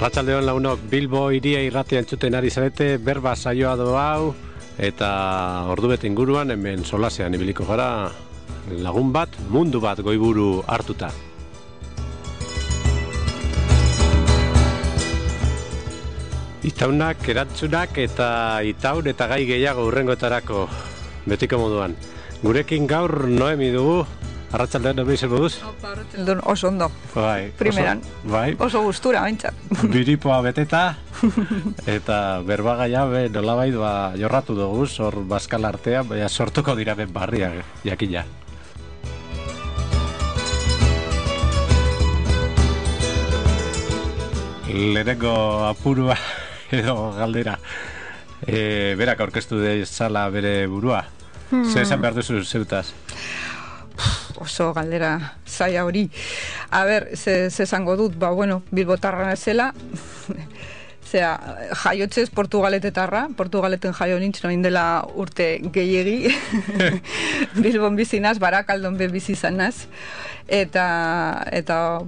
Arratsaldeon launok, Bilbo hiria irratia entzuten ari zarete, berba saioa do hau, eta ordubete inguruan hemen solasean ibiliko gara lagun bat, mundu bat goiburu hartuta. Itaunak, erantzunak eta itaun eta gai gehiago hurrengoetarako betiko moduan. Gurekin gaur Noemi dugu. Arratsaldean Noemi zer moduz? Arratsaldean oso ondo. Bai. Primeran. Bai. Oso gustura baintzat. Biripoa beteta eta berbagaia nolabait jorratu dugu hor Baskal artean, baina sortuko dira ben barriak jakina. Lehenengo apurua edo galdera. Berak aurkeztu dezala bere burua. Zer esan behar duzu zeutaz? Oso galdera zaila hori. A ber, ze esango dut, bilbotarra nazela, jaiotzez Portugaletetarra, Portugaleten jaio nintzen oin dela urte gehiegi, Bilbon bizinaz, Barakaldon be bizizanaz, eta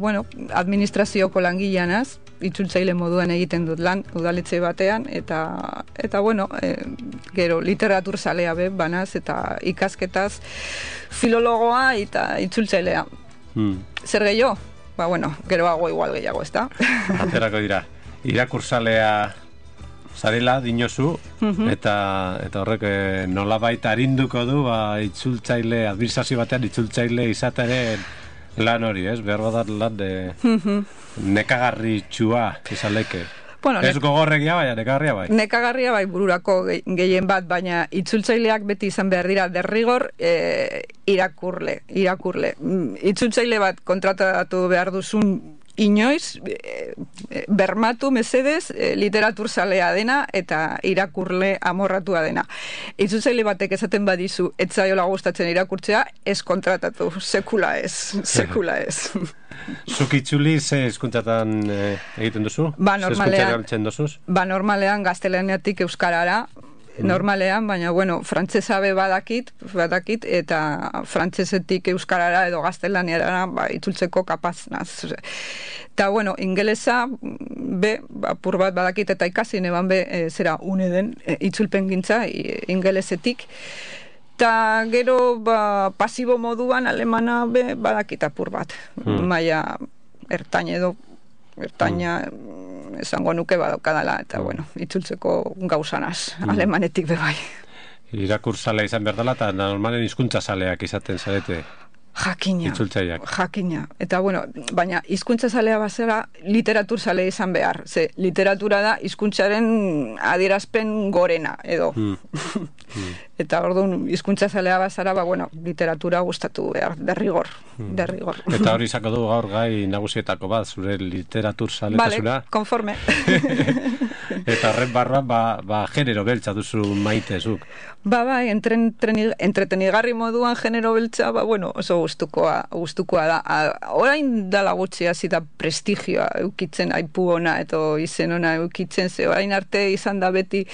administrazioko langileanaz, itzultzaile moduan egiten dut lan, udaletxe batean, eta gero literatur zalea be, banaz, eta ikasketaz, filologoa eta itzultzailea. Zer gehiago? Geroago igual gehiago, ez da? Aterako dira. Irakurzalea zarela dinozu, eta horrek nolabait arinduko du itzultzaile, administrazio batean itzultzaile izateren lan hori, ez? Behar badat lan nekagarri txua izaleke. Ez gogorregia bai, nekagarria bai. Nekagarria bai bururako gehien bat, baina itzultzaileak beti izan behar dira derrigor irakurle. Itzultzaile bat kontratatu behar duzun inoiz, bermatu mesedez literatur zalea dena eta irakurle amorratua dena. Itzultzaile batek esaten badizu etzaiola gustatzen irakurtzea, ez kontratatu, sekula ez. Zuk itzuli ze hizkuntzatan egiten duzu? Normalean gaztelaniatik euskarara, normalean, baina frantsesa be badakit eta frantsesetik euskarara edo gaztelaniara itzultzeko kapaz naz. Eta ingelesa be apur bat badakit eta ikasi neban be zera une den itzulpen gintza ingelesetik. Eta gero pasibo moduan alemana be badakit apur bat. Maia ertaina esango nuke badaukadala, eta itzultzeko gauzanaz, alemanetik bebai. Irakurzalea izan behar dela, eta normalen hizkuntza zaleak izaten zarete. Jakina. Eta baina hizkuntza zalea bazera literatur zalea izan behar. Ze literatura da hizkuntzaren adierazpen gorena, edo. Eta orduan hizkuntza zalea bazara, literatura gustatu behar, derrigor. Eta hori izango du gaur gai nagusietako bat, zure literatur zaletasuna. Vale, konforme. Eta horren barruan, genero beltza duzu maite zuk. Entretenigarri moduan genero beltza, oso gustukoa da. Orain dala gutxi hasi da prestigioa eukitzen, aipu ona edo izen ona eukitzen, ze orain arte izan da beti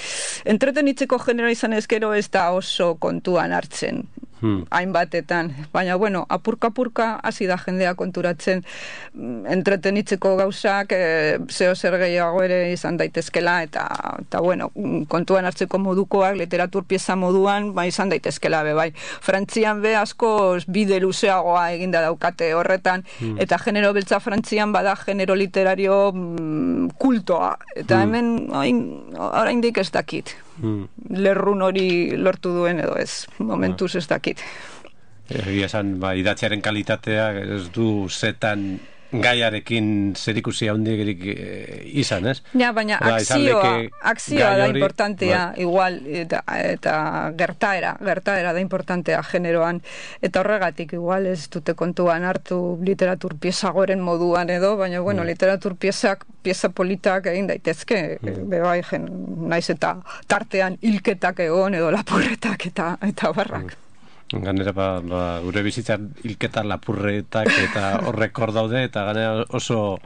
entretenitzeko genero izan ezkero ez da oso kontuan hartzen. Hainbatetan, baina apurka hasi da jendea konturatzen entretenitzeko gauzak zeo zer gehiago ere izan daitezkela eta kontuan hartzeko modukoak literatur pieza moduan izan daitezkela bai. Frantzian be asko bide luzeagoa eginda daukate horretan eta genero beltza Frantzian bada genero literario kultoa eta hemen oraindik ez dakit. Lerrun hori lortu duen edo ez, momentuz ez dakit. Egia esan, idatziaren kalitatea ez du zetan gaiarekin zerikusi handirik izan, ez? Ja, baina akzioa da importantea, igual, eta gertaera da importantea generoan, eta horregatik igual ez dute kontuan hartu literatur pieza goren moduan edo, baina literatur pieza politak egin daitezke, bebai, naiz eta tartean hilketak egon edo lapurretak eta barrak. Ganera gure bizitzan hilketa lapurretak eta horrek hor daude eta ganera oso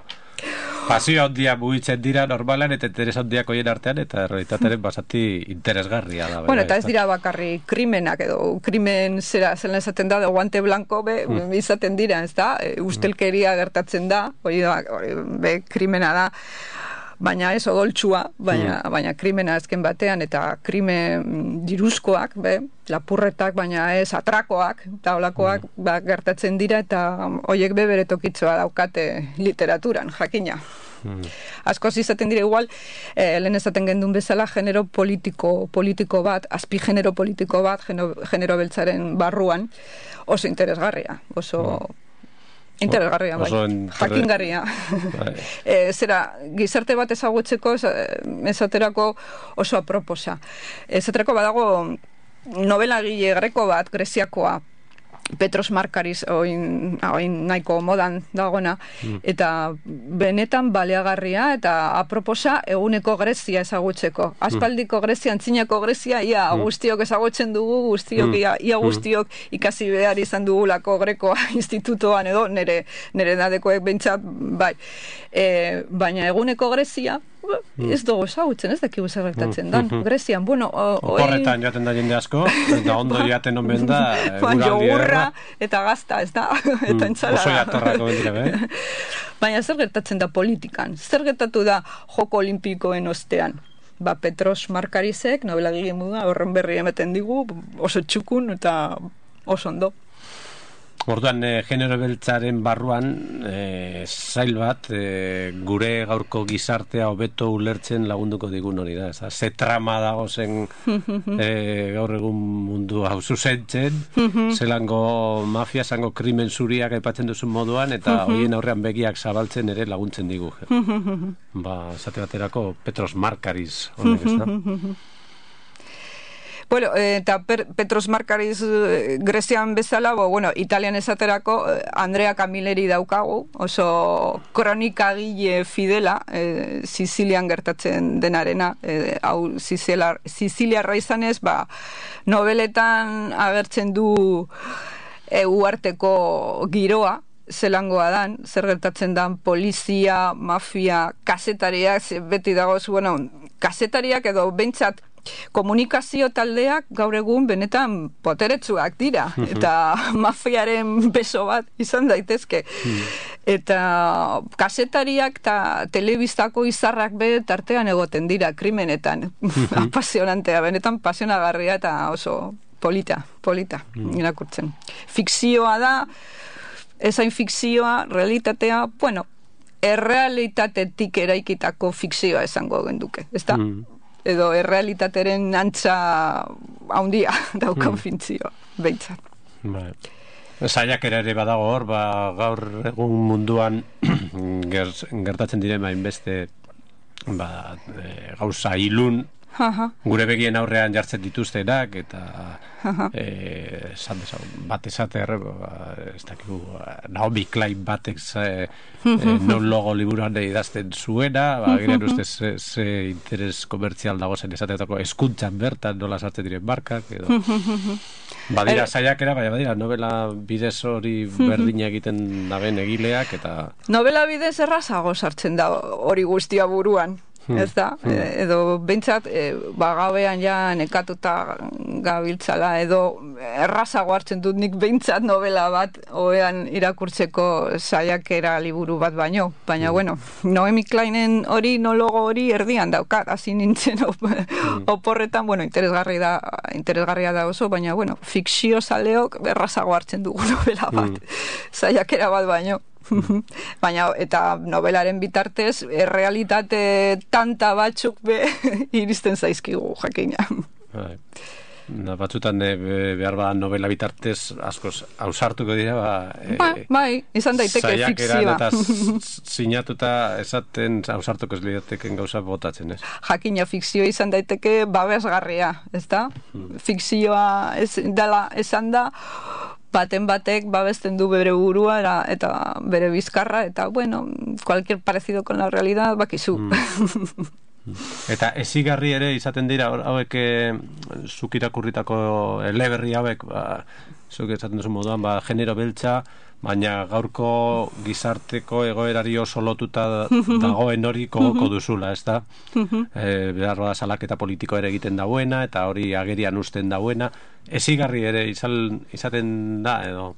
pasio handia mugitzen dira normalan eta interes handiak hoien artean eta errealitatearen basati interesgarria da. Eta ez dira bakarri krimenak edo krimen zelan esaten da, guante blanco izaten dira, ez da? Ustelkeria gertatzen da, hori be krimena da. baina ez odoltsua, baina krimena azken batean, eta krimen diruzkoak, lapurretak, baina ez atrakoak, eta olakoak gertatzen dira, eta horiek bere tokitzoa daukate literaturan, jakina. Askoz izaten dira igual, lehen esaten gendun bezala, genero politiko bat, azpi genero politiko bat, genero beltzaren barruan, oso interesgarria, oso interesgarria, jakingarria. Zera, gizarte bat ezagutzeko, esaterako oso aproposa. Esaterako badago novela gile greko bat, greziakoa, Petros Markaris, oin nahiko modan dagona, eta benetan baleagarria eta aproposa eguneko Grezia ezagutzeko. Aspaldiko Grezia, antzinako Grezia, ia guztiok ezagutzen dugu, ia guztiok ikasi behar izan dugulako Grekoa institutoan edo, nire dadekoek bentsat, bai. Baina eguneko Grezia, ez dugu ezagutzen, ez dakigu zer gertatzen dan. Grezian, bueno... Oporretan jaten da jende asko, eta ondo jaten omen da... Jogurra eta gazta, ez da? Eta entzala. Oso jatorrako bendira, Baina zer gertatzen da politikan? Zer gertatu da Joko Olimpikoen ostean? Petros Markarisek, novela gile muda, horren berri emeten digu, oso txukun eta oso ondo. Orduan, genero beltzaren barruan, zail bat, gure gaurko gizartea hobeto ulertzen lagunduko digun hori da. Ze trama dago zen gaur egun mundu hau zuzentzen, zelango mafia, zango krimen zuriak aipatzen duzun moduan, eta horien aurrean begiak zabaltzen ere laguntzen digu. Zate baterako Petros Markaris honek ez da. Bueno, eta Petros Markaris Grezian bezala, Italian esaterako Andrea Camilleri daukagu, oso kronikagile fidela, Sizilian gertatzen denarena, hau Siziliarra izanez, nobeletan agertzen du uarteko giroa, zelangoa dan, zer gertatzen dan polizia, mafia, kazetariak, beti dagoz, kazetariak edo bentsat komunikazio taldeak gaur egun benetan poteretsuak dira, eta mafiaren beso bat izan daitezke. Eta kasetariak eta telebistako izarrak tartean egoten dira krimenetan. Apasionantea, benetan pasionagarria eta oso polita irakurtzen. Fikzioa da, ezain fikzioa, realitatea, errealitatetik eraikitako fikzioa esango genduke, ez da? Edo errealitateren antza haundia daukan fintzioa, behintzat. Zaiakera ere badago hor, gaur egun munduan gertatzen diren hainbeste gauza ilun, gure begien aurrean jartzen dituztenak, eta bat esate ez dakigu Naomi Klein batek non logo liburuan idazten zuena, giren uste ze interes komertzial dago zen esateetako eskuntzan bertan nola sartzen diren markak edo badira saiakera, badira novela bidez hori berdina egiten daben egileak, eta novela bidez errazago sartzen da hori guztia buruan, ez da? Edo behintzat gabean ja nekatuta gabiltzala, edo errazago hartzen dut nik behintzat novela bat oean irakurtzeko saiakera liburu bat baino, baina Naomi Kleinen hori nologo hori erdian daukat, hasi nintzen oporretan, interesgarria da oso, baina fikzio zaleok errazago hartzen dugu novela bat, saiakera bat baino. Baina, eta novelaren bitartez, errealitate tanta batzuk iristen zaizkigu, jakina. Batzutan behar novela bitartez askoz ausartuko dira, izan daiteke fikzioa. Eta sinatuta esaten ausartuko ez lidateken gauza botatzen, ez? Jakina, fikzioa izan daiteke babesgarria, ez da? Fikzioa esan da, baten batek babesten du bere burua eta bere bizkarra, eta cualquier parecido con la realidad bakizu. Eta ezigarri ere izaten dira hauek zuk irakurritako eleberri hauek, zuk esaten duzu moduan, genero beltza, baina gaurko gizarteko egoerari oso lotuta dagoen hori kogoko duzula, ez da? Behar da salaketa politiko ere egiten dauena, eta hori agerian usten dauena. Ezigarri ere izaten da, edo?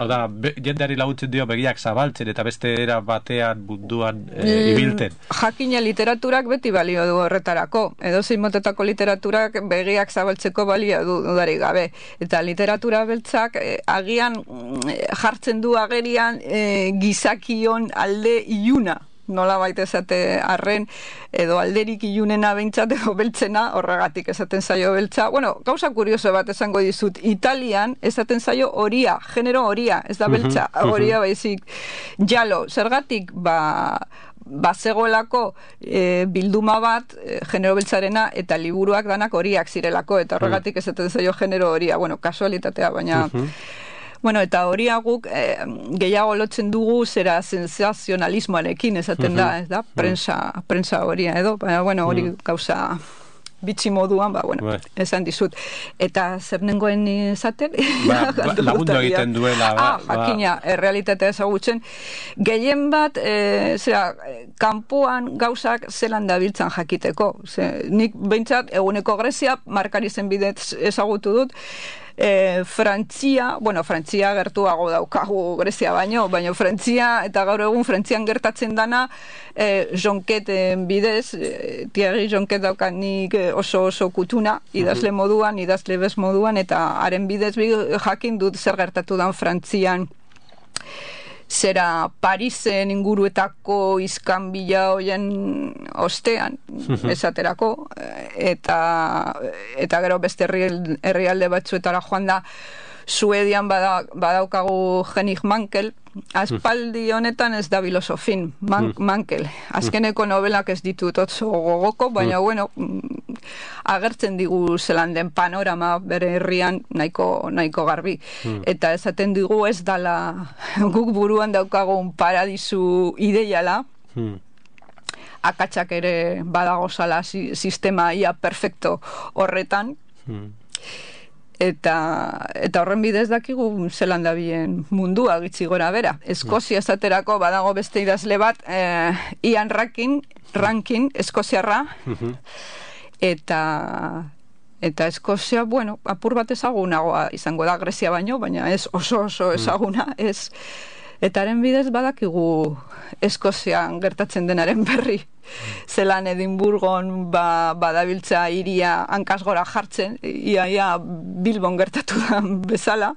Oda, jendeari laguntzen dio begiak zabaltzen eta beste era batean munduan ibilten. Jakina literaturak beti balio du horretarako. Edozein motetako literaturak begiak zabaltzeko balio du dudarik gabe. Eta literatura beltzak agian jartzen du agerian gizakion alde iluna. Nola baita esate arren, edo alderik ilunena behintzat, edo beltzena, horregatik esaten zaio beltza. Bueno, gauza kurioso bat esango dizut, Italian esaten zaio horia, genero horia, ez da beltza, horia baizik. Jalo, zergatik, zegoelako bilduma bat, genero beltzarena, eta liburuak danak horiak zirelako, eta horregatik esaten zaio genero horia. Bueno, kasualitatea, baina... Bueno, eta hori guk gehiago lotzen dugu zera sensazionalismoarekin esaten da, ez da? Prensa horia edo, baina, bueno, hori gauza bitxi moduan, bueno, esan dizut. Eta zer nengoen esaten? Lagundu egiten duela. Jakina, realitatea ezagutzen. Gehien bat, kanpoan gauzak zelan dabiltzan jakiteko. Nik behintzat, eguneko Grezia, markari zen bidez ezagutu dut, Frantzia gertuago daukagu Grezia baino Frantzia, eta gaur egun Frantzian gertatzen dana Jonketen bidez, Thierry Jonket daukanik oso kutuna, idazle moduan, idazle bez moduan, eta haren bidez jakin dut zer gertatu dan Frantzian, zera Parisen inguruetako iskanbila hoien ostean, esaterako, eta gero beste herrialde batzuetara joan da, Suedian badaukagu Henning Mankell, aspaldi honetan ez da filosofin, Mankell. Azkeneko novelak ez ditut otso gogoko, baina bueno, agertzen digu zelan den panorama bere herrian nahiko garbi. Eta esaten digu ez dala guk buruan daukagun paradisu ideiala, akatsak ere badagozala sistema ia perfecto horretan, eta horren bidez dakigu zelan dabien mundua gitzi gora bera. Eskozia esaterako badago beste idazle bat, Ian Rankin, eskoziarra, eta Eskozia, bueno, apur bat ezagunagoa izango da Grezia baino, baina ez oso ezaguna, ez. Eta haren bidez badakigu Eskozian gertatzen denaren berri. Zelan Edimburgon badabiltza iria hankasgora jartzen, ia Bilbon gertatu da bezala.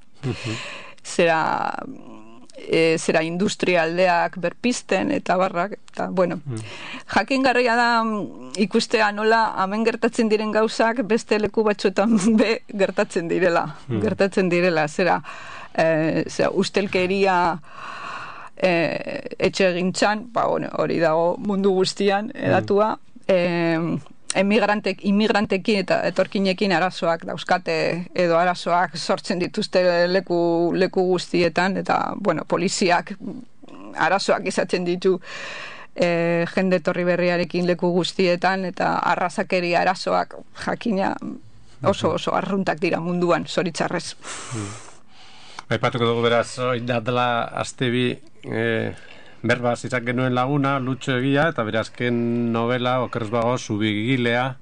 Zera industrialdeak berpisten eta barrak, eta bueno, jakingarria da ikustea nola hemen gertatzen diren gauzak beste leku batzuetan gertatzen direla, zera ustelkeria etxe egintzan, hori dago mundu guztian edatua, immigrantekin eta etorkinekin arazoak dauzkate, edo arazoak sortzen dituzte leku guztietan, eta bueno, poliziak arazoak izaten ditu jende etorri berriarekin leku guztietan, eta arrazakeria arazoak jakina oso arruntak dira munduan, zoritzarrez. Aipatuko dugu beraz, dela astebi berbaz izan genuen laguna, Lutxo Egia, eta berazken novela, okerrez bago, Zubigilea,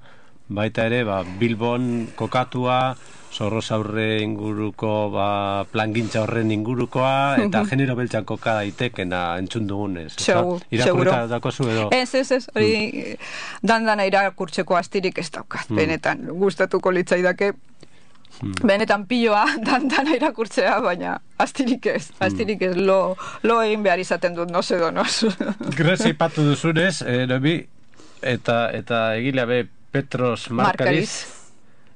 baita ere, Bilbon kokatua, Zorrozaurre inguruko, plangintza horren ingurukoa, eta genero beltzan koka daitekena entzun dugunez. Irakurreta dakozu edo? Ez, hori dandana irakurtzeko astirik ez daukat, benetan, gustatuko litzaidake, benetan piloa dantana irakurtzea, baina astirik ez, lo egin behar izaten dut, no se donos. Grezia ipatu duzunez, Noemi, eta egilea be Petros Markariz,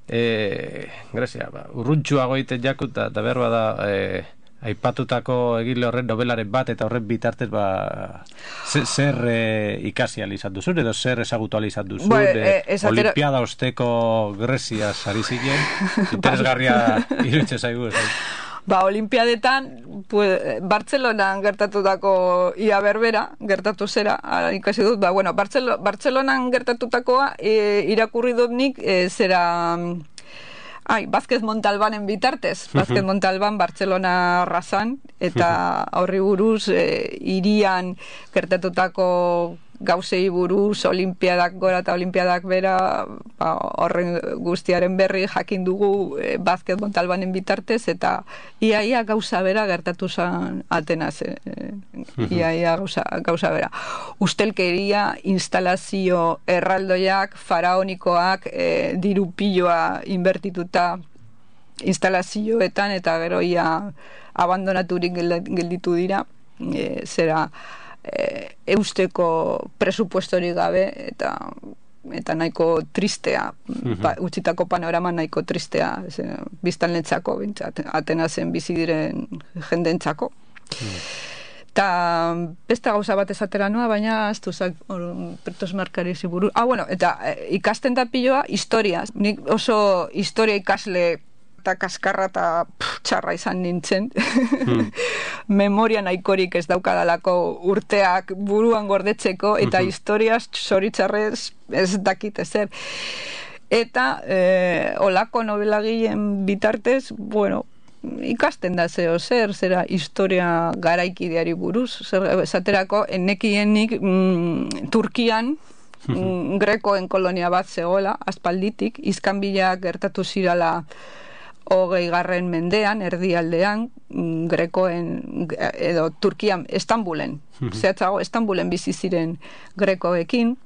Grezia, urruntxuago egiten jakut, eta behar bada aipatutako egile horren novelaren bat, eta horren bitartez zer ikasi izan duzun, edo zer ezagutu izan duzun, Olimpiada osteko Grezia sari zinen, interesgarria iruditzen zaigu. Olimpiadetan, Bartzelonan gertatutako ia berbera, gertatu zera, ikasi dut, Bartzelonan gertatutakoa irakurri dut nik, zera... Vázquez Montalbanen bitartez, Vázquez Montalban Bartzelona razan, eta horri buruz irian gertatutako gauzei buruz, olimpiadak gora eta olimpiadak bera, horren guztiaren berri jakin dugu basketball talbanen bitartez, eta iaia gauza bera gertatu zen Atenas, iaia gauza bera. Ustelkeria, instalazio erraldoiak, faraonikoak, diru piloa inbertituta instalazioetan, eta gero ia abandonaturik gelditu dira, zera eusteko presupuestorik gabe, eta nahiko tristea, utzitako panorama nahiko tristea, biztanlentzako, Atenasen bizi diren jendentzako. Eta beste gauza bat esatera noa, baina aztu Pertos Markari ziburu. Bueno, eta ikasten da piloa historia. Nik oso historia ikasle eta kaskarra eta txarra izan nintzen. Memoria nahikorik ez daukadalako urteak buruan gordetzeko, eta historiaz zoritzarrez ez dakit ezer. Eta olako nobelagileen bitartez, bueno, ikasten da zer, zera historia garaikideari buruz, esaterako, enekienik Turkian grekoen kolonia bat zegoela, aspalditik, Iskanbilak gertatu zirala 20. mendean, erdialdean, grekoen, edo Turkian, Istanbulen, zehatzago Istanbulen bizi ziren grekoekin,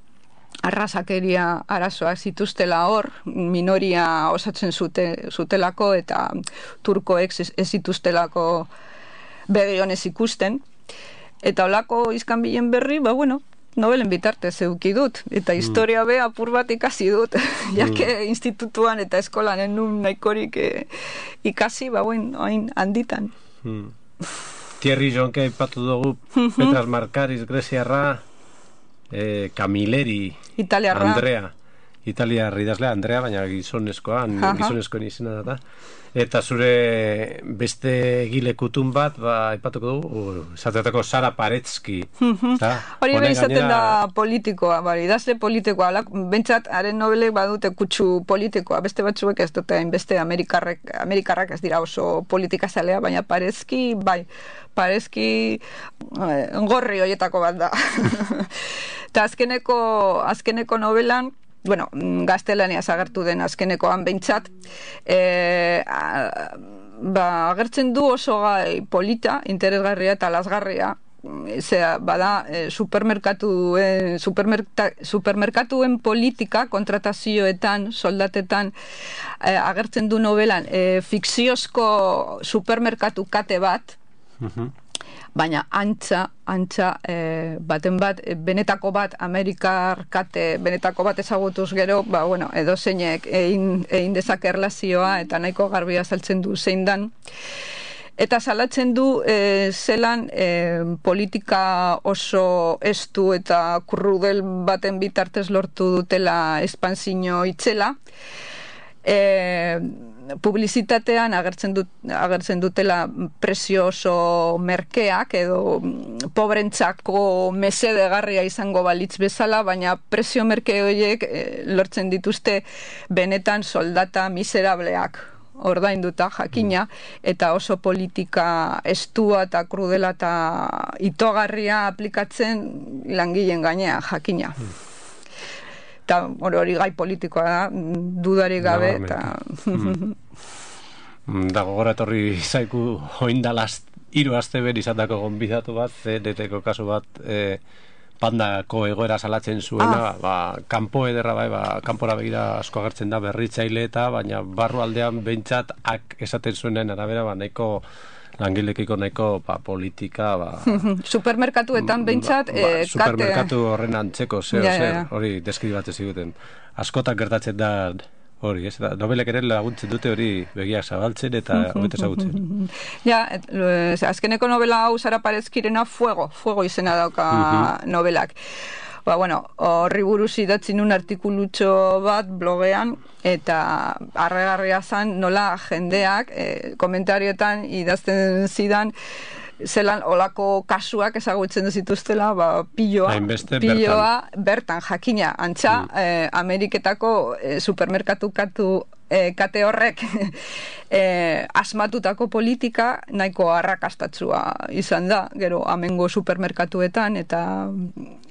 arrasakeria arazoak zituztela hor, minoria osatzen zutelako, eta turkoek ez zituztelako begionez ikusten. Eta holako Iskanbilen berri, bueno, novelen bitartez eduki dut, eta historia be apur bat ikasi dut, jake institutuan eta eskolan enun nahikorik ikasi, hain handitan. Thierry Jonke aipatu dugu, Petras Markaris, greziarra, Camilleri, italiarra. Andrea, italiar idazlea Andrea, baina gizonezkoan izena da. Eta zure beste egile kutun bat, aipatuko dugu, esatetako Sara Paretsky. Hori behin izaten da politikoa, idazle politikoa, bentsat, haren nobelek badute kutsu politikoa, beste batzuek ez dute, beste amerikarrak ez dira oso politikazalea, baina Paretsky, Paretsky gorri horietako bat da. Eta azkeneko novelan, bueno, gaztelaniaz agertu den azkenekoan behintzat, agertzen du oso gai polita, interesgarria eta lasgarria, bada supermerkatuen politika, kontratazioetan, soldatetan, agertzen du novelan, fikziozko supermerkatu kate bat, baina antza baten bat, benetako bat, Amerikar kate, benetako bat ezagutuz gero, edo zeinek egin dezake erlazioa, eta nahiko garbia saltzen du zein dan. Eta salatzen du zelan politika oso estu eta krudel baten bitartez lortu dutela espantzino itzela, publizitatean agertzen dutela prezio oso merkeak edo pobrentzako mesedegarria izango balitz bezala, baina prezio merke horiek lortzen dituzte benetan soldata miserableak ordainduta jakina, eta oso politika estua eta krudela eta itogarria aplikatzen langileen gainean jakina. Eta hori gai politikoa da, dudarik gabe, eta... Dago gora etorri zaiku oindalaz 3 aste ber izatako gonbidatu bat, CNT-ko kasu bat, pandako egoera salatzen zuena, kanpo ederra kanpora begira asko agertzen da berritzaile eta, baina barru aldean behintzat esaten zuenen arabera, nahiko langilekiko nahiko politika supermerkatuetan behintzat supermerkatu horren antzeko hori deskribatzen ziguten askotak gertatzen da hori, nobelek ere laguntzen dute hori begiak zabaltzen eta hobeto ezagutzen. Azkeneko novela hau Sara Paretskyren Fuego izena dauka novelak. Horri buruz idatzi nun artikulutxo bat blogean, eta arregarria zen nola jendeak komentarioetan idazten zidan zelan olako kasuak ezagutzen zituztela, piloa bertan jakina, antza Ameriketako supermerkatu kate horrek asmatutako politika nahiko arrakastatsua izan da, gero amengo supermerkatuetan, eta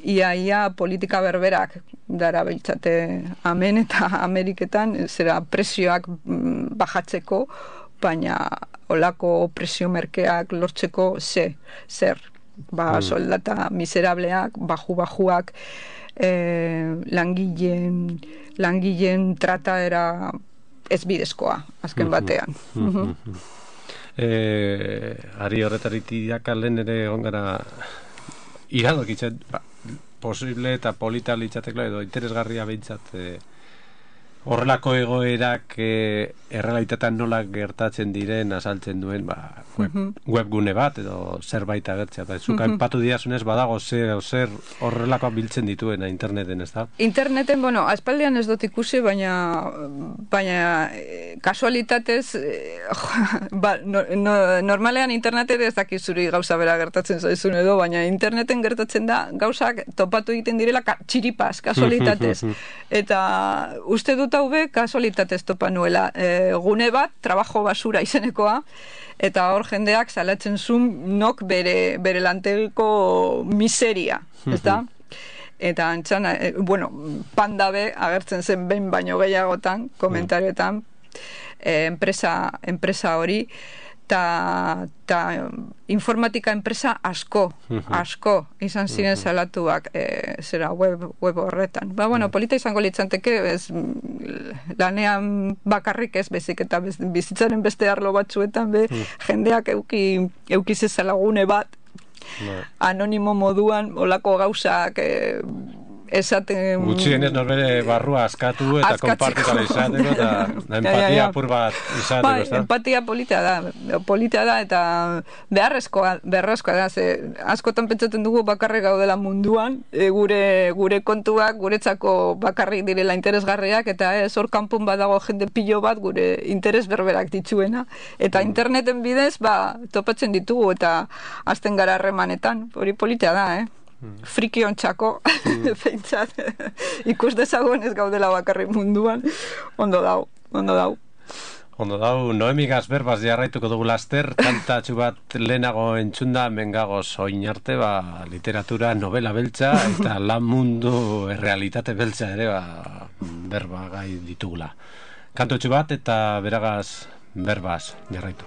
ia politika berberak dara beltzate amen eta Ameriketan, zera presioak bajatzeko, baina olako presio merkeak lortzeko zer, soldata miserableak, bajuak, langileen trataera ez bidezkoa, azken batean. Ari horretaritiak lehen ere ongara iradokitzen, posible eta polita litzatekla edo interesgarria behintzat horrelako egoerak errealitatean nola gertatzen diren azaltzen duen webgune bat edo zerbait agertzea. Zuk aipatu diazunez badago zer horrelakoa biltzen dituen interneten, ez da? Interneten, aspaldian ez dut ikusi, baina kasualitatez normalean internetet ez dakizuri gauza bera gertatzen zaizun edo, baina interneten gertatzen da gauzak topatu egiten direla txiripaz, kasualitatez. Eta uste dut haube kasualitatez topa nuela. Gune bat, trabajo basura izenekoa, eta hor jendeak salatzen zuen nok bere lantelko miseria, ez da? Eta antxan, pandabe agertzen zen behin baino gehiagotan, komentarioetan, enpresa hori, eta informatika enpresa asko izan ziren salatuak zera web horretan. Polita izango litzanteke lanean bakarrik ez bezik eta bizitzaren beste arlo batzuetan jendeak eukizezala gune bat anonimo moduan olako gauzak esaten... Gutxienez norbere barrua askatu eta konpartikala izateko eta empatia apur bat izateko, ez da? Empatia polita da eta beharrezkoa da, askotan pentsatzen dugu bakarrik gaudela munduan, gure kontuak, guretzako bakarrik direla interesgarriak, eta hor kanpon badago jende pilo bat gure interes berberak ditzuena, eta interneten bidez topatzen ditugu eta azten gara harremanetan, hori polita da, friki ontxako feintzat ikus dezagun ez gaudela bakarrik munduan, ondo dau Noemi Gazberbaz jarraituko dugu laster, kantatxu bat lehenago entzunda mengagoz oin arte, literatura, novela beltza eta lan mundu errealitate beltza ere berba gai ditugula. Kantatxu bat eta beragaz berbaz jarraitu.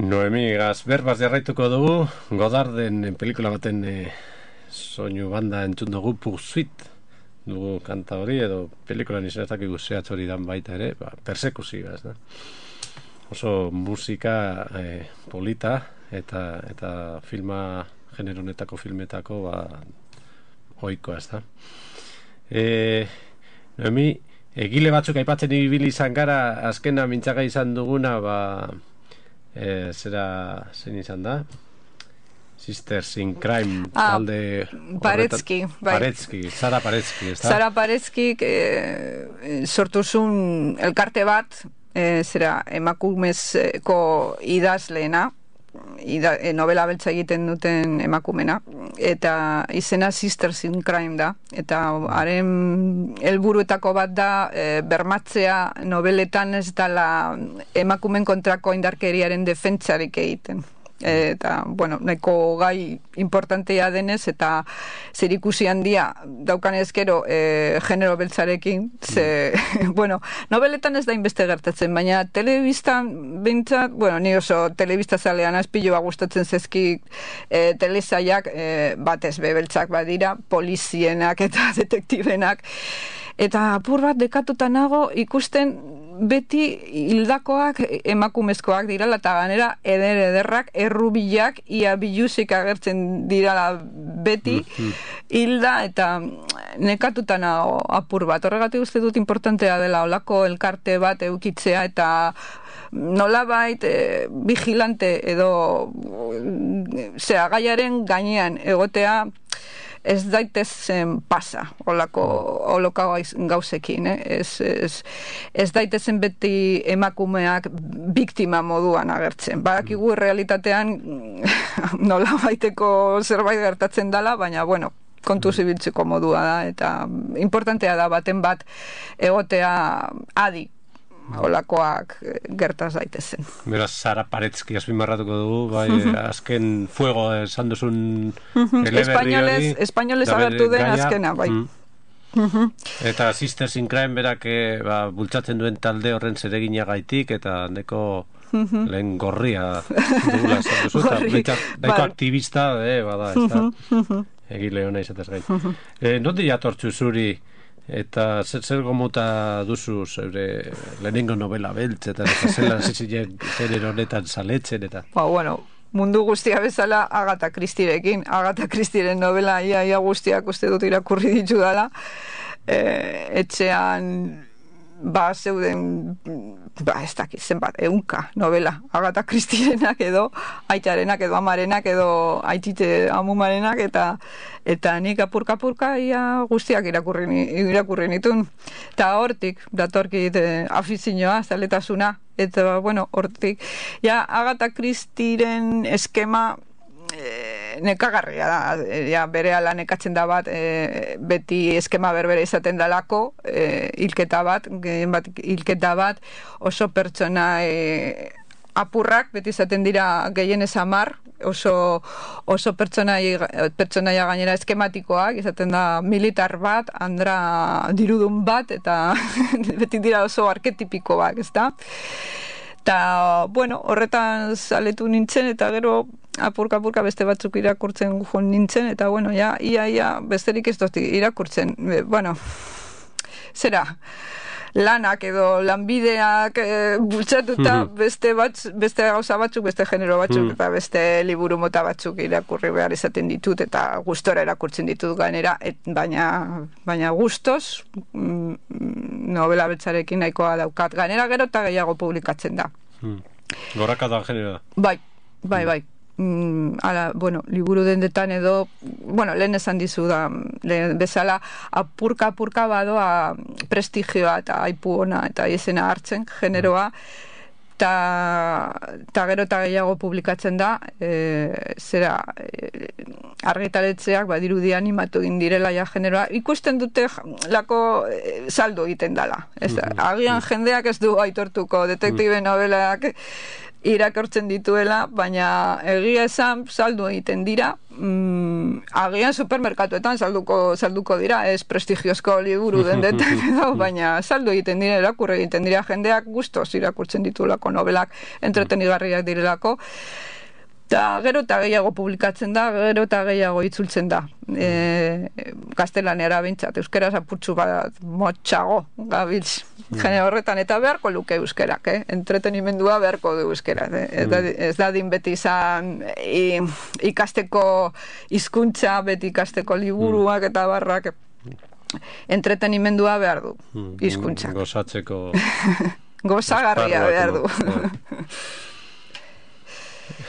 Noemi Gazberbaz jarraituko dugu, Godarden pelikula baten soinu banda entzun dugu Pursuit dugu kanta hori, edo pelikulan izanetak iguzeatz hori dan baita ere, persekuzioa, ez da. Oso musika polita eta filma, genero honetako filmetako ohikoa, ez da. Noemi, egile batzuk aipatzen ibili izan gara, azkena mintzaga izan duguna, zein izan da? Sisters in Crime talde Paretsky, Sara Paretsky, ez da? Sara Paretsky sortuzun elkarte bat, emakumezko idazleena, novela beltza egiten duten emakumena, eta izena Sisters in Crime da, eta haren helburuetako bat da bermatzea nobeletan ez dala emakumen kontrako indarkeriaren defentsarik egiten. Eta, bueno, nahiko gai importantea denez eta zerikusi handia daukanez gero genero beltzarekin, bueno, nobeletan ez da inbeste gertatzen, baina telebistan bintzat, bueno, ni oso telebista zalean azpiloa gustatzen zezkik telesaiak batez bebeltzak badira, polizienak eta detektibenak, eta apur bat dekatuta nago ikusten beti hildakoak emakumezkoak dirala, eta ganera ederrak, errubilak, ia biluzik agertzen dirala beti hilda, eta nekatuta nago apur bat. Horregatik uste dut importantea dela olako elkarte bat eukitzea, eta nolabait vigilante edo gaiaren gainean egotea ez daitezen pasa oloko gauzekin, ez daitezen beti emakumeak biktima moduan agertzen. Badakigu realitatean nolabaiteko zerbait gertatzen dela, baina bueno, kontu zibiltzeko modua da, eta importantea da baten bat egotea adi olakoak gertaz daitezen. Beraz, Sara Paretsky azpimarratuko dugu, azken fuego esan duzun eleberri hori. Espainolez agertu den azkena, bai. Eta Sisters in Crime berak bultzatzen duen talde horren zereginagaitik, eta neko lehen gorria dugula esan duzu, eta daiko aktivista, bada, ez da, egile hona izatez gain. Nondi jatortzu zuri, eta zer gomuta duzu zeure lehenengo novela beltz, eta zela zitzien genero honetan zaletzen, eta... Bueno, mundu guztia bezala Agatha Christierekin. Agatha Christieren novela ia guztiak uste dut irakurri ditu dala. Etxean zeuden ez dakit zenbat, 100 novela Agatha Christierenak edo aitarenak edo amarenak edo aitite amumarenak, eta nik apurka ia guztiak irakurri nitun, eta hortik datorkit afizioa, zaletasuna, eta bueno, hortik Agatha Christieren eskema nekagarria da, berehala nekatzen da bat, beti eskema berbera izaten dalako, hilketa bat, oso pertsona apurrak, beti izaten dira gehienez 10, oso pertsonaia gainera eskematikoak, izaten da militar bat, andra dirudun bat, eta beti dira oso arketipikoak, ez da? Eta, bueno, horretan saletu nintzen, eta gero apurka beste batzuk irakurtzen joan nintzen, eta, bueno, ia besterik ez dut irakurtzen. Bueno, lanak edo lanbideak bultzatuta beste gauza batzuk, beste genero batzuk, eta beste liburu mota batzuk irakurri behar izaten ditut, eta gustora irakurtzen ditut gainera, baina gustos novela beltzarekin nahikoa daukat. Gainera gero eta gehiago publikatzen da. Gorraka da genera. Bai. Bueno, liburu dendetan edo, bueno, lehen esan dizu da, bezala apurka badoa prestigioa eta aipu ona eta izena hartzen generoa, eta gero eta gehiago publikatzen da, argitaletzeak badirudi animatu egin direla generoa, ikusten dute lako saldo egiten dela. Agian jendeak ez du aitortuko detektibe novelak irakortzen dituela, baina egia esan saldu egiten dira, agian supermerkatuetan salduko dira, ez prestigiozko liburu dendetan edo, baina saldu egiten dira, irakurri egiten dira, jendeak gustoz irakurtzen ditulako nobelak, entretenigarriak direlako, eta gero eta gehiago publikatzen da, gero eta gehiago itzultzen da. Gaztelaniara bintzat, euskaraz apurtxu bat motxago gabiltz. Jene horretan eta beharko luke euskerak, entretenimendua beharko du euskerak. Ez da din beti izan ikasteko hizkuntza, beti ikasteko liburuak eta barrak. Entretenimendua behar du, hizkuntzak. Gozatzeko... Gozagarria behar du.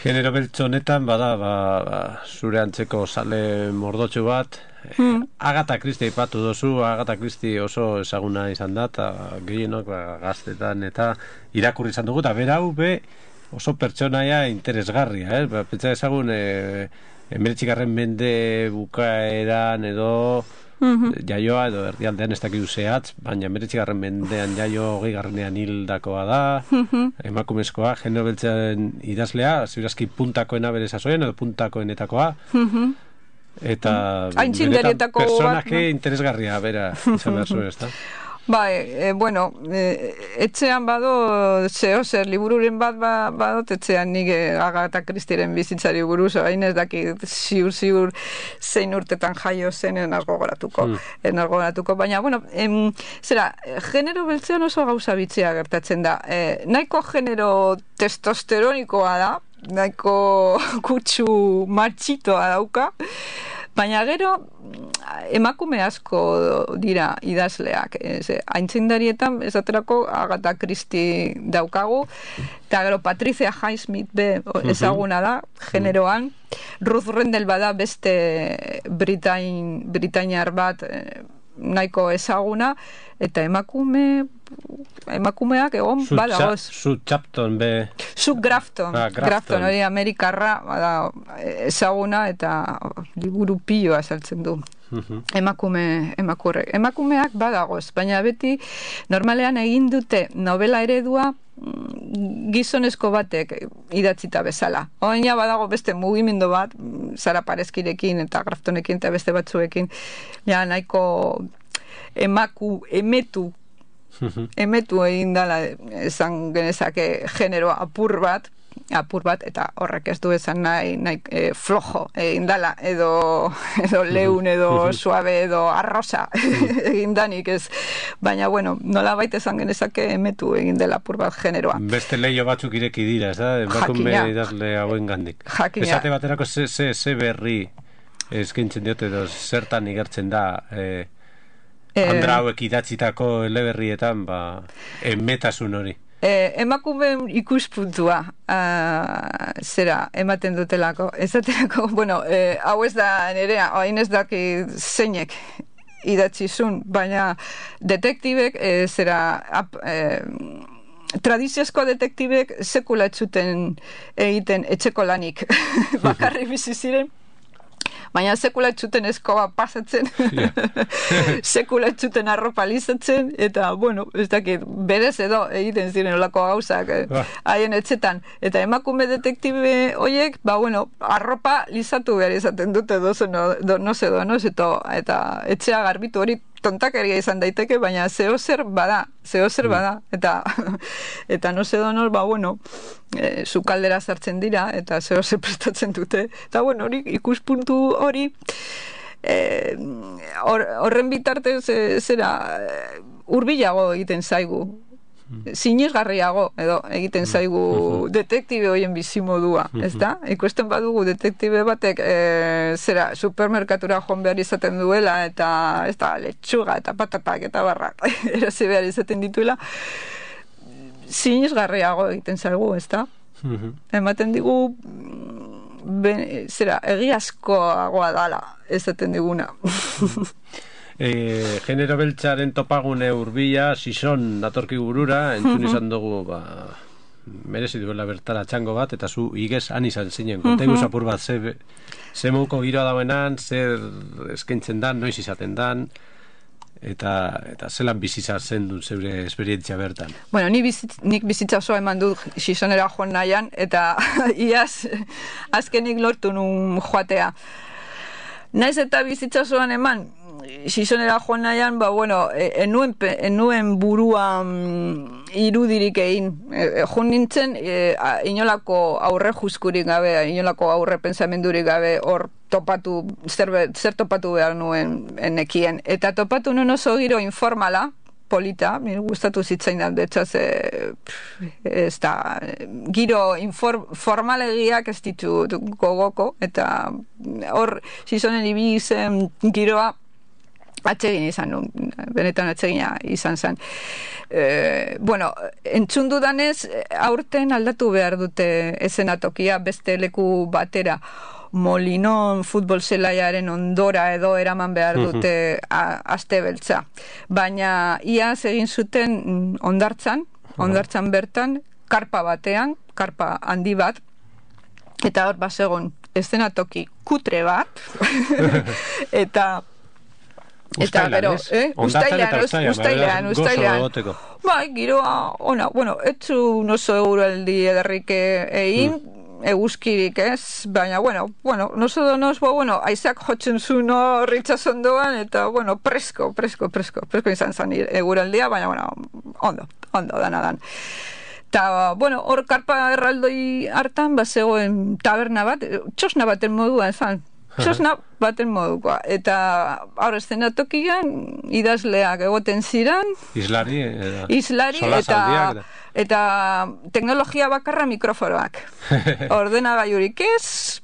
Genero beltz honetan, zure antzeko sale mordotxu bat, Agatha Christie ipatu dozu, Agatha Christie oso ezaguna izan da, eta gehienok gaztetan eta irakurri izan dugu, eta berau oso pertsonaia interesgarria, pentsa ezagun, 19. mende bukaeran edo jaioa edo erdialdean ez dakidu zehatz, baina 19. mendean jaio 20. hildakoa da, emakumezkoa, genero beltzen idazlea, ziurazki puntakoena bere sasoien edo puntakoenetakoa, eta benetan personaje interesgarria bera izan behar zuen, ez da? Bai, bueno, etxean bado zer libururen bat badot etxean nik Agatha Christieren bizitzari buruz, hain ez dakit ziur zein urtetan jaio zen enazgo goratuko, baina, bueno, genero beltzean oso gauza bitzea gertatzen da. Nahiko genero testosteronikoa da, nahiko kutsu matxitoa dauka, baina gero emakume asko dira idazleak. Aintzindarietan esaterako Agatha Christie daukagu, eta gero Patricia Highsmith ezaguna da, generoan. Ruth Rendell bada beste britainiar bat nahiko ezaguna, eta emakumeak egon badagoz. Sue Grafton, hori Amerikarra ezaguna eta liburu piloa saltzen du. Emakumeak badagoz, baina beti normalean egin dute novela eredua gizonezko batek idatzita bezala. Oina badago beste mugimendu bat, Sara Parezkirekin eta Graftonekin eta beste batzuekin, ja nahiko emetu egin dala, esan genezake genero apur bat, eta horrek ez du esan nahi flojo egin dala, edo leun, edo suave, edo arrosa egin danik ez. Baina, bueno, nola baita esan genezake emetu egin dela apur bat generoa. Beste leio batzuk ireki dira, ez da? Emakume idazle hauen gandik. Esate baterako ze berri eskaintzen diote, edo zertan igertzen da Andra hauek idatzitako eleberrietan, emetasun hori. Emakume ikuspuntua ematen dutelako. Ezaterako, bueno, hau ez da nerea, hain ez daki zeinek idatzizun, baina detektibek tradiziozko detektibek sekula etxuten egiten etxeko lanik bakarri bizi ziren, baina sekula etxuten eskoba pasatzen, sekula etxuten arropa lizatzen, eta, bueno, ez dakit, berez edo egiten ziren olako gauzak haien etxetan. Eta emakume detektibe horiek, bueno, arropa lizatu behar izaten dute donoz, eta etxea garbitu hori tontakeria izan daiteke, baina zehozer bada, eta no se donor, bueno, sukaldera sartzen dira, eta zehozer prestatzen dute, eta bueno, hori ikuspuntu hori, horren bitartez hurbilago egiten zaigu, sinesgarriago edo egiten zaigu detektibe hoien bizimodua, ez da? Ikusten badugu detektibe batek supermerkatura joan behar izaten duela, eta ez da, letxuga eta patatak eta barrak erazi behar izaten dituela, sinesgarriago egiten zaigu, ez da? Ematen digu egiazkoagoa dala ezaten diguna. Genero beltzaren topagune urbila, Sison datorki burura, entzun izan dugu, merezi duela bertara txango bat, eta zu igez han izan zinen. Kontegu zapur bat, ze mouko giroa dauenan, zer eskaintzen dan, noiz izaten dan, eta zelan bizitza zen duen zeure esperientzia bertan? Bueno, nik bizitza osoa eman dut Xixonera joan nahian, eta iaz azkenik lortu nun joatea. Naiz eta bizitza osoan eman, Xixonera joan nahian, enuen buruan irudirik egin. Joan nintzen, inolako aurre juskurik gabe, inolako aurre pensamendurik gabe, hor topatu, zer topatu behar nuen nekien. Eta topatu nuen oso giro informala, polita, gustatu zitzain da, betxaz, ez da, giro formalegiak ez ditu gogoko, eta hor, Xizonen ibili zen giroa, atsegin izan nun, benetan atsegina izan zen. Entzun dudanez, aurten aldatu behar dute eszenatokia beste leku batera. Molinon futbol zelaiaren ondora edo eraman behar dute aste beltza. Baina iaz egin zuten ondartzan bertan, karpa batean, karpa handi bat, eta hor basegon eszenatoki kutre bat, eta gero, ustailean. Bai, giroa, ona, etzu noso euraldi ederrik egin, eguzkirik ez, baina, noso donoz, aizak jotzen zuen ritxasondoan, eta, presko izan zen eguraldia, baina, ondo danadan. Eta, hor karpa erraldoi hartan, zegoen taberna bat, txosna baten moduan zan, txosna baten modukoa. Eta hor eszenatokian idazleak egoten ziran. Islari eta teknologia bakarra mikroforoak. Ordenagailurik ez,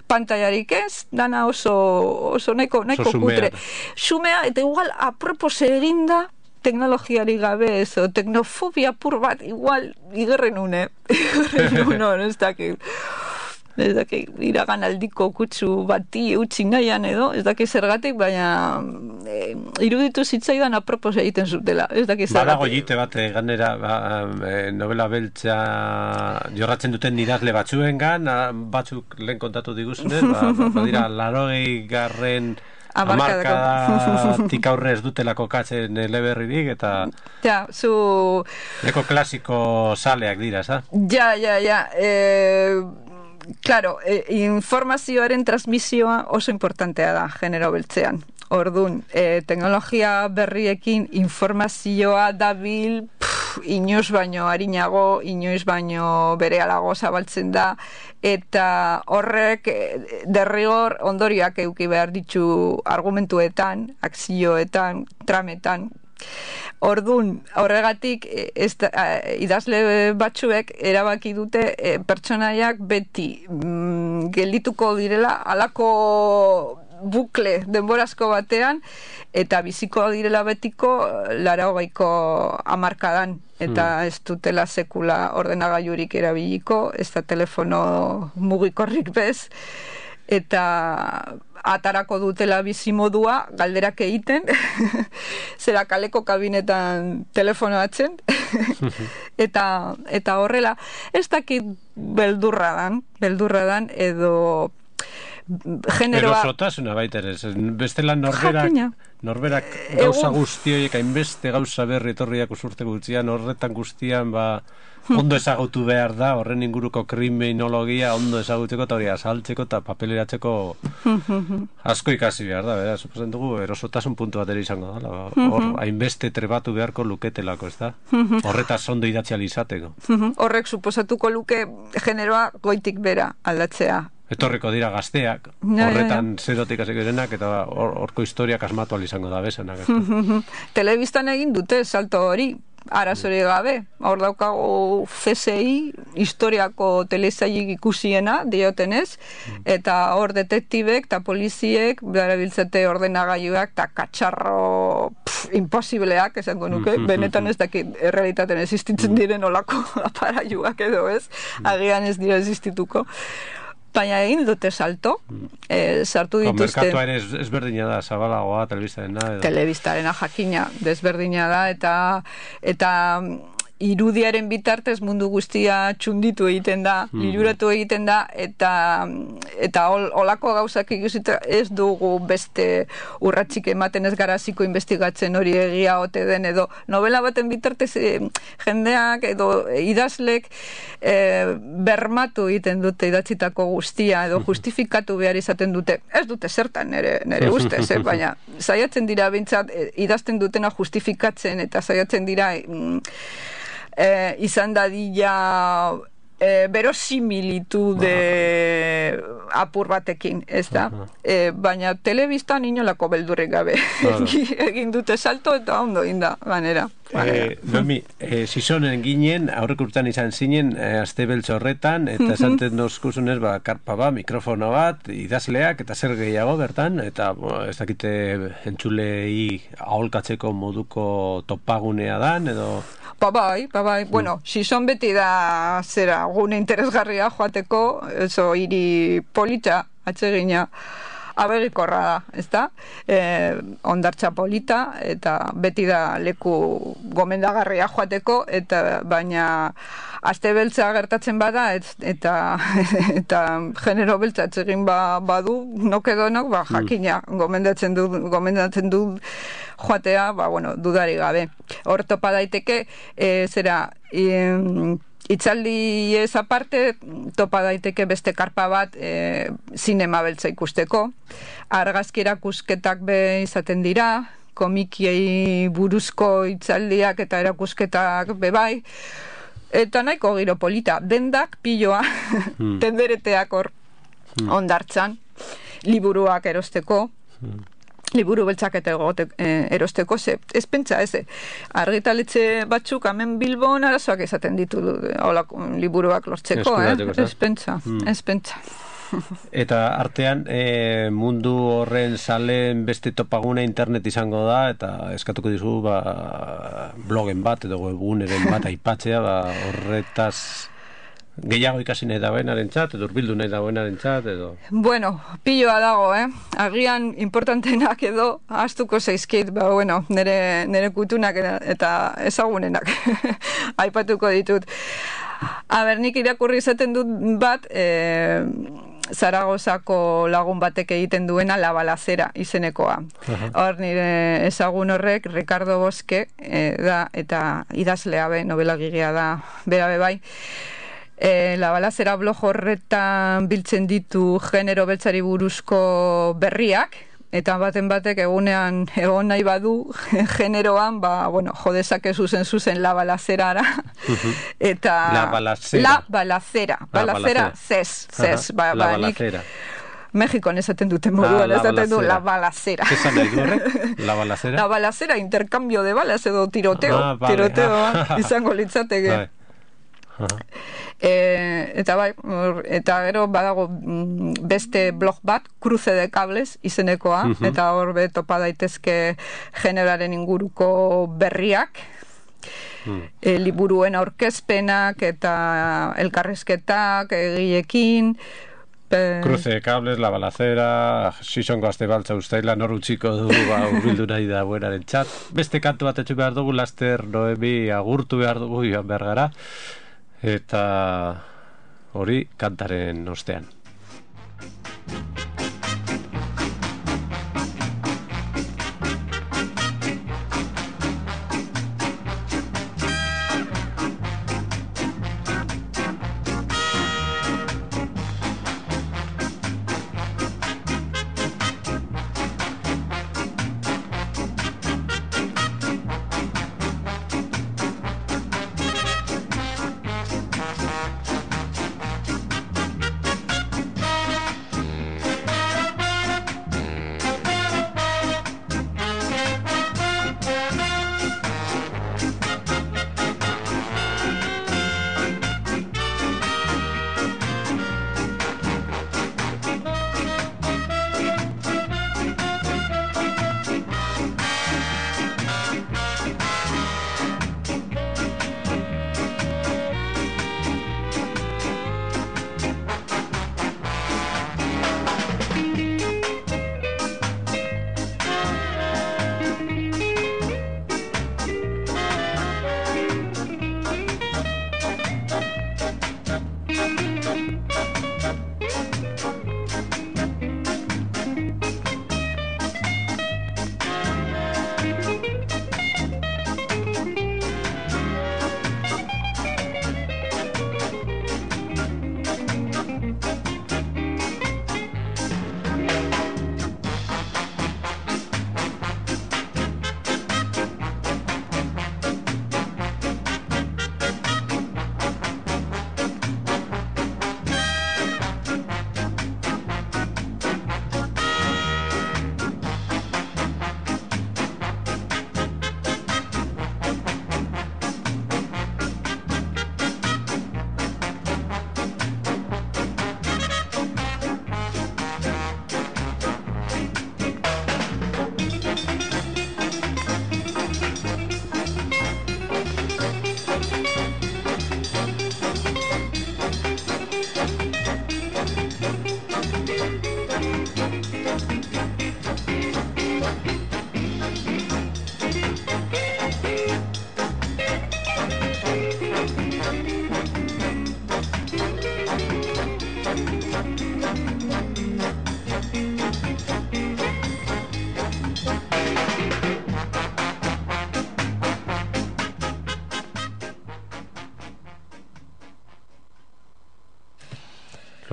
pantailarik ez, dana oso nahiko kutre. Xumea, eta igual apropos eginda teknologiari gabe ez, o teknofobia pur bat, igual igerren une, ez dakit iragan aldiko kutsu bati utzi nahian edo, ez dakit zergatik, baina iruditu zitzaidan apropos egiten zutela, ez dakit zergatik. Badago jite bat, ganera, novela beltza jorratzen duten idazle batzuengan, batzuk lehen kontatu diguzunez, badira 80. Hamarkadatik aurre ez dutelako katzen eleberririk, eta neko klasiko saleak dira, za? Ja. Claro, informazioaren transmisioa oso importantea da genero beltzean. Ordun, teknologia berriekin informazioa dabil inoiz baino arinago, inoiz baino berealago zabaltzen da, eta horrek derrigor ondorioak eduki behar ditu argumentuetan, akzioetan, trametan. Ordun, horregatik idazle batzuek erabaki dute pertsonaiak beti geldituko direla halako bukle denborazko batean, eta biziko direla betiko 80ko hamarkadan, eta ez dutela sekula ordenagailurik erabiliko, ez da telefono mugikorrik bez, eta atarako dutela bizimodua, galderak egiten, zera kaleko kabinetan telefonoatzen, eta horrela, ez dakit beldurra dan, edo generoa... Erosotasuna baita ere, bestela norberak gauza guztioiek, hainbeste gauza berri etorriak usurte gutxian, horretan guztian, ondo ezagutu behar da, horren inguruko kriminologia ondo ezagutzeko eta hori azaltzeko eta papeleratzeko asko ikasi behar da, suposen dugu erosotasun puntu bat ere izango da, hor hainbeste trebatu beharko luketelako, ez da? Horretaz ondo idatzial izateko. Horrek suposatuko luke generoa goitik bera aldatzea. Etorriko dira gazteak, horretan zerotik hasiko direnak, eta horko historiak asmatu izango da bezanak. Telebistan egin dute salto hori, arazori gabe. Hor daukago CSI, historiako telesailik ikusiena, diotenez, eta hor detektibek eta poliziek darabiltzate ordenagailuak eta katxarro imposibleak, esango nuke, benetan ez dakit errealitaten existitzen diren olako aparailuak edo ez, agian ez dira existituko. Baina egin dute salto, sartu dituzte... Merkatua ere ezberdina da, zabalagoa, telebistarena. Telebistarena jakina, desberdina da, eta irudiaren bitartez mundu guztia txunditu egiten da, liluratu egiten da, eta olako gauzak ikusita ez dugu beste urratxik ematen ez garaziko investigatzen hori egia ote den, edo novela baten bitartez jendeak edo idazlek bermatu egiten dute idatzitako guztia, edo justifikatu behar izaten dute, ez dute zertan nere ustez, baina saiatzen dira bintzat idazten dutena justifikatzen, eta saiatzen dira izan dadila verosimilitude apur batekin, ez da? Baina telebistan inolako beldurrik gabe egin dute salto eta ondo inda, ganera. Noemi, sizonen ginen, aurrek urtean izan zinen, aste beltz horretan, eta esanten dozkuzunez, karpa bat, mikrofono bat, idazleak, eta zer gehiago bertan, eta ez dakite entzulei aholkatzeko moduko topagunea dan, edo... Bai. Bueno, sizon beti da zera gune interesgarria joateko, eso hiri polita atsegina abegikorra da, ezta? Hondartza polita, eta beti da leku gomendagarria joateko, eta baina aste beltza gertatzen bada, eta genero beltza atsegin badu, nokedonok, jakina gomendatzen du joatea, dudari gabe. Hor topa daiteke, itzaldi ez aparte, topa daiteke beste karpa bat zinema beltza ikusteko. Argazki erakusketak be izaten dira, komikiei buruzko itzaldiak eta erakusketak be bai, eta nahiko giro polita, dendak piloa, tendereteak hor hondartzan, liburuak erosteko, liburu beltzak eta erosteko, ez pentsa, argitaletxe batzuk hemen Bilbon arazoak izaten ditu liburuak lortzeko, ez pentsa. Eta artean mundu horren salen beste topaguna internet izango da, eta eskatuko dizu blogen bat edo webguneren bat aipatzea horretaz gehiago ikasi nahi dagoenaren txat, edo urbildu nahi dagoenaren txat, edo... Bueno, piloa dago, agian importantenak edo astuko zaizkit, nire kutunak eta ezagunenak aipatuko ditut. Nik irakurri izaten dut bat, Zaragozako lagun batek egiten duena La Balacera izenekoa. Hor nire ezagun horrek, Ricardo Bosque da, eta idazlea novelagilea da, bera bai. La Balacera blog horretan biltzen ditu genero beltzari buruzko berriak, eta batek egunean egon nahi badu generoan, jodezake zuzen La Balacerara, eta... La Balacera. La Balacera, zez. La Balacera. Mexikon esaten duten moduan, esaten du La Balacera. Esan nahi du horrek? La Balacera? La Balacera, intercambio de balas edo tiroteo. Tiroteo izango litzateke. Eta gero badago beste blog bat, Cruce de Cables izenekoa, eta hor topa daitezke generaren inguruko berriak, liburuen aurkezpenak eta elkarrizketak egilekin. Cruce de Cables, La Balacera, Sisongo aste baltza ustaila, nor utziko du urbildu nahi da buenaren txat. Beste kantu bat etxu behar dugu, laster Noemi agurtu behar dugu joan behar gara. Eta hori kantaren ostean.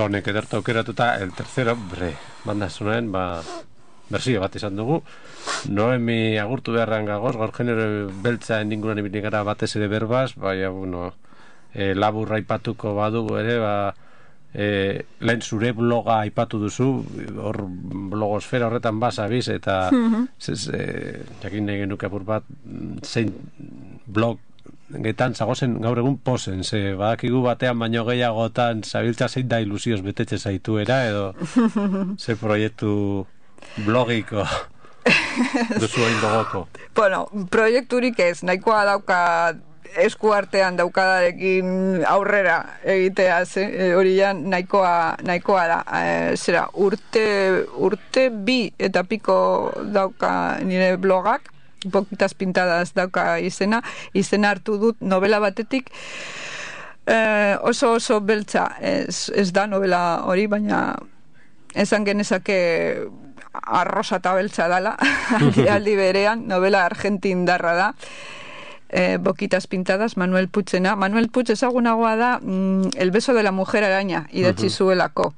Honek edertu aukeratuta, el tercero, banda sonoen, bersio bat izan dugu. Noemi agurtu beharran gagoz, gaur genero beltza inguruan ibili gara batez ere berbaz, baina, labur aipatuko badugu ere, lehen zure bloga aipatu duzu, hor blogosfera horretan basabiz, eta jakin nahi genuke apur bat, zein blog getan zagozen gaur egun posen, ze badakigu batean baino gehiagotan zabiltza zein da ilusioz betetxe zaituera, edo ze proiektu blogiko duzu hain gogoko. Bueno, proiekturik ez, nahikoa dauka eskuartean daukadarekin aurrera egitea, hori ja nahikoa da. Zera, urte bi eta piko dauka nire blogak, Poquitas Pintadas dauka izena hartu dut novela batetik, oso beltza, ez da novela hori, baina esan genezake arrosa eta beltza dala, aldi berean, novela argentindarra da, Poquitas Pintadas, Manuel Putzena. Manuel Putz ezagunagoa da El beso de la mujer araña, idatzi zuelako.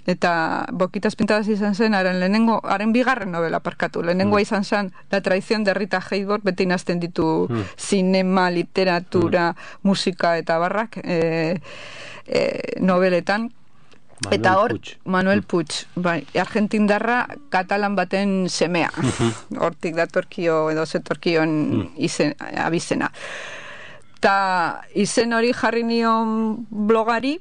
Eta Poquitas Pintadas izan zen haren bigarren novela parkatu. Lehenengoa izan zen La traición de Rita Hayworth, beti nazten ditu cinema, literatura, musika eta barrak noveletan. Eta hor, Manuel Puig, argentindarra katalan baten semea. Hortik datorkio edo zetorkion abizena. Ta izen hori jarri nion blogari,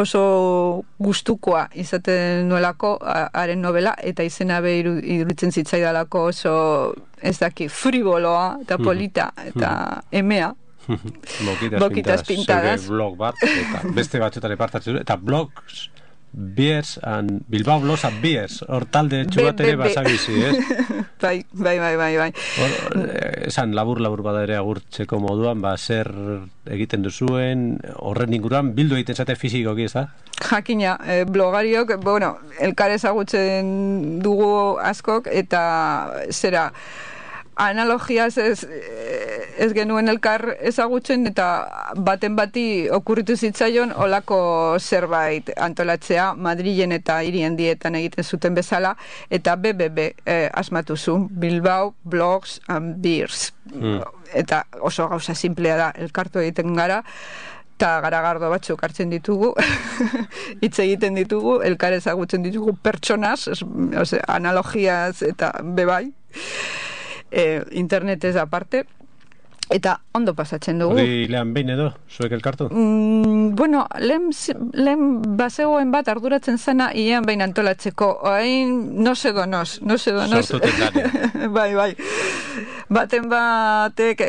oso gustukoa izaten nuelako haren novela, eta izena be iruditzen zitzaidalako oso, ez daki, friboloa eta polita eta emea. Poquitas Pintadas. Zure blog bat, eta beste batxotare partatzen, eta blogs Beers and Bilbao Blogs and Beers, hor talde txubat ere basabizi, Bai. Esan labur bada ere agurtzeko moduan, zer egiten duzuen, horren inguruan, bildu egiten zate fizikoki, ez da? Jakina, blogariok, elkar ezagutzen dugu askok, eta zera, analogiaz ez genuen elkar ezagutzen, eta baten bati okurritu zitzaion olako zerbait antolatzea Madrilen eta hirien dietan egiten zuten bezala, eta BBB asmatu zu, Bilbao Blogs and Beers. Eta oso gauza simplea da, elkartu egiten gara, eta garagardo batzuk hartzen ditugu, hitz egiten ditugu, elkar ezagutzen ditugu pertsonaz, analogiaz eta bebai, internetez aparte, eta ondo pasatzen dugu. Hori lehen behin edo, zuek elkartu? Lehen bazegoen bat arduratzen zena ian behin antolatzeko, hain no se donos. Sortuten gani. Bai. Baten batek,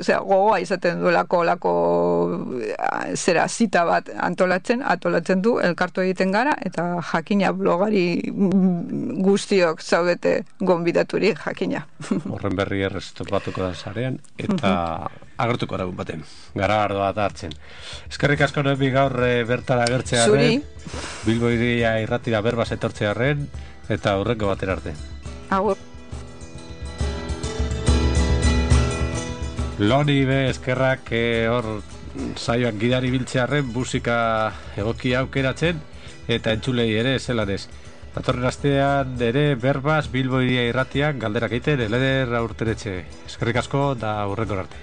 gogoa izaten duelako zera zita bat antolatzen du, elkartu egiten gara, eta jakina blogari guztiok zaudete gonbidaturi jakina. Horren berri erreztopatuko da zarean, eta agertuko aragun baten, garagardoa da hartzen. Eskerrik asko Noemi gaur bertara agertzea Zuri. Bilbo Iria irratira berbaz etortzea eta aurreko batera arte. Agur. Loni be eskerrak hor saioak gidari biltzearren musika egokia aukeratzen, eta entzulei ere zelanez. Datorren astean ere berbaz Bilbo Iria irratiak galderak egiten, eleder aurteretxe. Eskerrik asko da aurreko arte.